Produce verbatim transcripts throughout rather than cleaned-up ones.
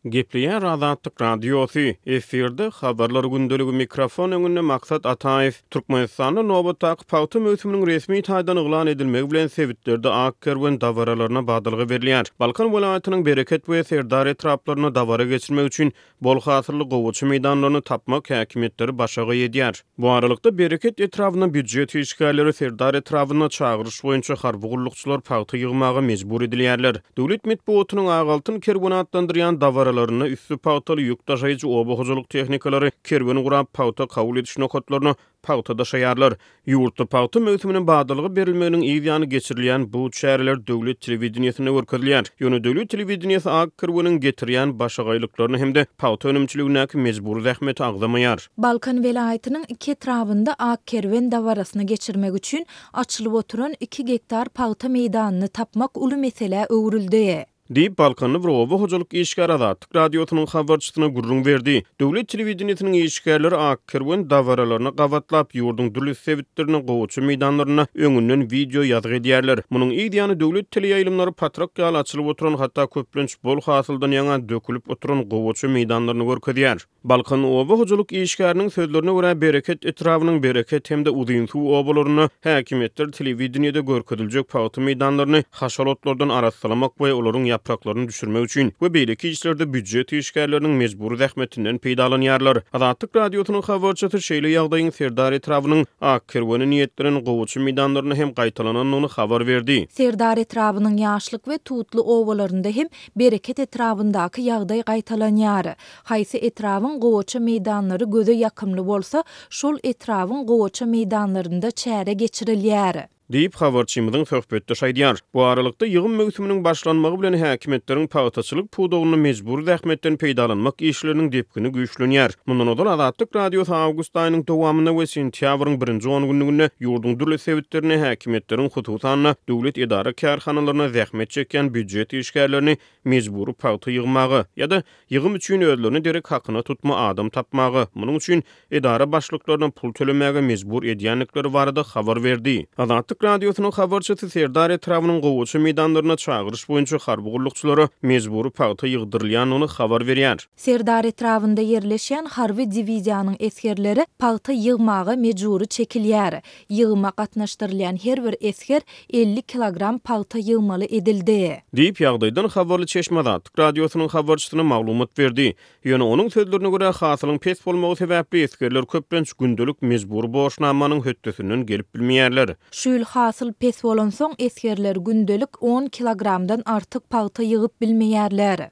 Gepleýär Azatlyk Radiosy, efirde Habarlar gündeligi, mikrofon öňünde Maksat Ataýew. Türkmenistanda nobatdaky pagta möwsüminiň resmi taýdan yglan edilmegi bilen sebitlerde ak kerwen dabaralaryna badalga berilýär. Balkan welaýatynyň Bereket we Serdar etraplarynda dabara geçirmek üçin bol hasylly gowaça meýdanlaryny tapmak häkimiýetleri başagaý edýär. Bu aralykda, Bereket etrabynda býujet işgärleri, Serdar etrabynda çagyryş boýunça harby gullukçylar pagta ýygmaga mejbur edilýärler. Döwlet metbugatynyň ak altyn kerweni atlandyrýan dabaralarynda üsti pagtaly ýük daşaýjy oba hojalyk tehnikalary kerwen gurap, pagta kabul ediş nokatlaryna pagta daşaýarlar. Ýurtda pagta möwsüminiň badalga berilmeginiň yz ýany geçirilýän bu çäreler döwlet telewideniýesinde görkezilýär. Ýöne döwlet telewideniýesi ak kerweniň getirýän başagaýlyklaryny hem-de pagta önümçiligindäki mejbury zähmeti agzamaýar. Balkan welaýatynyň iki etrabynda ak kerwen dabarasyny geçirmek üçin açylyp oturan iki gektar pagta meýdanyny tapmak uly meselä öwrüldi. Diýip, balkanly bir oba hojalyk işgäri Azatlyk Radiosynyň habarçysyna gürrüň berdi. Döwlet telewideniýesiniň işgärleri ak kerwen dabaralaryna gabatlap, ýurduň dürli sebitlerinde gowaça meýdanlarynda öňünden wideo ýazgy edýärler. Munuň yz ýany döwlet teleýaýlymlary patrak ýaly açylyp oturan, hatda köplenç bol hasyldan ýaňa dökülip oturan gowaça meýdanlaryny görkezýär. Balkan oba hojalyk işgäriniň sözlerine görä, Bereket etrabynyň Bereket hem-de Uzynsuw obalarynda häkimiýetler telewideniýede görkeziljek pagta meýdanlaryny haşal otlardan arassalamak we olaryň ýapraklaryny düşürmek üçin we beýleki işlerde býujet işgärleriniň mejbury zähmetinden peýdalanýarlar. Azatlyk Radiosynyň habarçysy şeýle ýagdaýyň Serdar etrabynyň ak kerwene niýetlenen gowaça meýdanlarynda hem gaýtalanandygyny habar berdi. Serdar etrabynyň Ýaşlyk we Tutly obalarynda hem Bereket etrabyndaky ýagdaý gaýtalanýar. Haýsy etrabyň gowaça meýdanlary göze ýakymly bolsa, şol etrabyň gowaça meýdanlarynda çäre geçirilýär. Diýip, habarçymyzyň söhbetdeşi aýdýar. Bu aralykda, ýygym möwsüminiň başlanmagy bilen häkimiýetleriň pagtaçylyk pudagynda mejbury zähmetden peýdalanmak işleriniň depgini güýçlenýär. Mundan ozal Azatlyk Radiosy awgust aýynyň dowamynda we sentýabryň birinji on günlüginde ýurduň dürli sebitlerinde häkimiýetleriň hususan-da, döwlet edara-kärhanalarynda zähmet çekýän býujet işgärlerini mejbury pagta ýygmaga ýa-da ýygym üçin özlerine derek hakyna tutma adam tapmaga, munuň üçin edara başlyklaryna pul tölemäge mejbur edýändikleri barada habar berdi. Azatlyk Radiosynyň habarçysy Serdar etrabynyň gowaça meýdanlarynda çagyryş boýunça harby gullukçylara mejbury pagta ýygdyrylýandygyny habar berýär. Serdar etrabynda ýerleşýän harby diwiziýanyň esgerleri pagta ýygmaga mejbury çekilýär. Ýygyma gatnaşdyrylýan her bir esger elli kilogram pagta ýygmaly edildi. Diýip, ýagdaýdan habarly çeşme Azatlyk Radiosynyň habarçysyna maglumat berdi. Ýöne onuň sözlerine görä, hasylyň pes bolmagy sebäpli esgerler köplenç gündelik mejbury borçnamanyň hötdesinden gelip bilmeýärler. Şu ýyl hasyl pes bolansoň, esgerler gündelik on kilogramdan artyk pagta ýygyp bilmeýärler.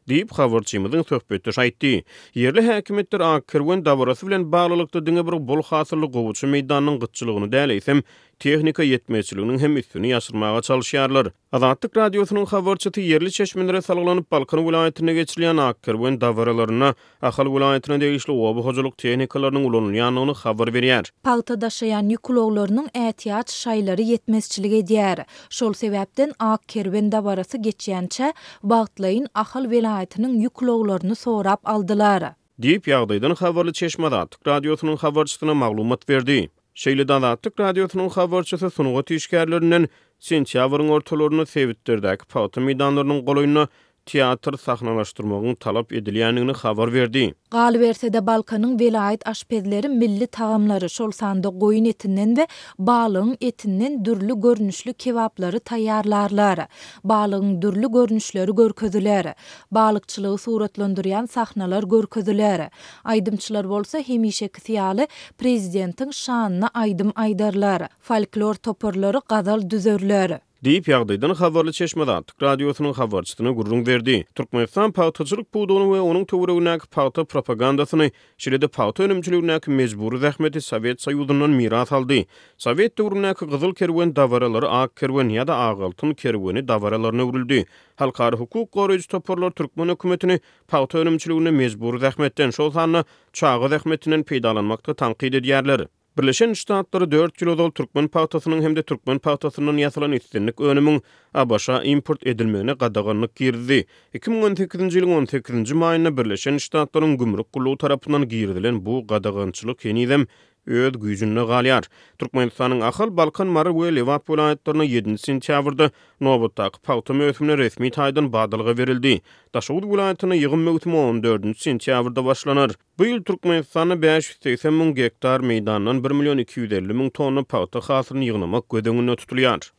Diýip, habarçymyzyň söhbetdeşi aýtdy. Ýerli häkimiýetler ak kerwen dabarasy bilen baglylykda diňe bir bol hasylly gowaça meýdanynyň gytçylygyny däl, eýsem, tehnika ýetmezçiliginiň hem üstüni ýaşyrmaga çalyşýarlar. Azatlyk Radiosynyň habarçysy ýerli çeşmelere salgylanyp, Balkan welaýatynda geçirilýän ak kerwen dabaralarynda Ahal welaýatyna degişli oba hojalyk tehnikalarynyň ulanylýandygyny habar berýär. Pagta daşaýan ýük ulaglarynyň ätiýaç şaýlary ýetmezçilik edýär. Şol sebäpden ak kerwen dabarasy geçýänçä, wagtlaýyn Ahal welaýatynyň ýük ulaglaryny sorap aldylar. Diýip, ýagdaýdan habarly çeşme Azatlyk Radiosynyň habarçysyna maglumat berdi. Şeýle-de Azatlyk Radiosynyň habarçysy sungat işgärlerinden sentýabryň ortalarynda sebitlerdäki pagta meýdanlarynyň golaýynda teatr sahnalaşdyrmagyň talap edilýändigini habar berdi. Galyberse-de, Balkanyň welaýat aşpezleri milli tagamlary, şol sanda goýun etinden we balygyň etinden dürli görnüşli kebaplary taýýarlarlar. Balygyň dürli görnüşleri görkeziler. Balykçylygy suratlandyrýan sahnalar görkeziler. Aýdymçylar bolsa hemişekisi ýaly prezidentiň şanyna aýdym aýdarlar. Folklor toparlary gazal düzerler. Diýip, ýagdaýdan habarly çeşme Azatlyk Radiosynyň habarçysyna gürrüň berdi. Türkmenistan pagtaçylyk pudagyny we onuň töweregindäki pagta propagandasyny, şeýle-de pagta önümçiligindäki mejbury zähmeti Sowet Soýuzyndan miras aldy. Sowet döwründäki Gyzyl kerwen dabaralary Ak kerwen ýa-da Ak altyn kerweni dabaralaryna öwrüldi. Halkara hukuk goraýjy toparlar türkmen hökümetini pagta önümçiliginde mejbury zähmetden, şol sanda çaga zähmetinden peýdalanmakda tankyt edýärler. Birleşen Ştatlary dört ýyl ozal türkmen pagtasynyň hem-de türkmen pagtasyndan ýasalan islendik önümiň ABŞ-a import edilmegine gadaganlyk girizdi. Iki müň on sekizinji ýylyň on sekizinji maýynda Birleşen Ştatlaryň Gümrük gullugy tarapyndan girizilen bu gadagançylyk henizem öz güýjünde galýar. Türkmenistanyň Ahal, Balkan, Mary we Lebap welaýatlarynda ýedinji sentýabrda nobatdaky pagta möwsümine resmi taýdan badalga berildi. Daşoguz welaýatynda ýygym möwsümi on dördünji sentýabrda başlanar. Bu ýyl Türkmenistanda bäş ýüz segsen müň gektar meýdandan bir million iki ýüz elli müň tonna pagta hasylyny ýygnamak göz öňünde tutulýar.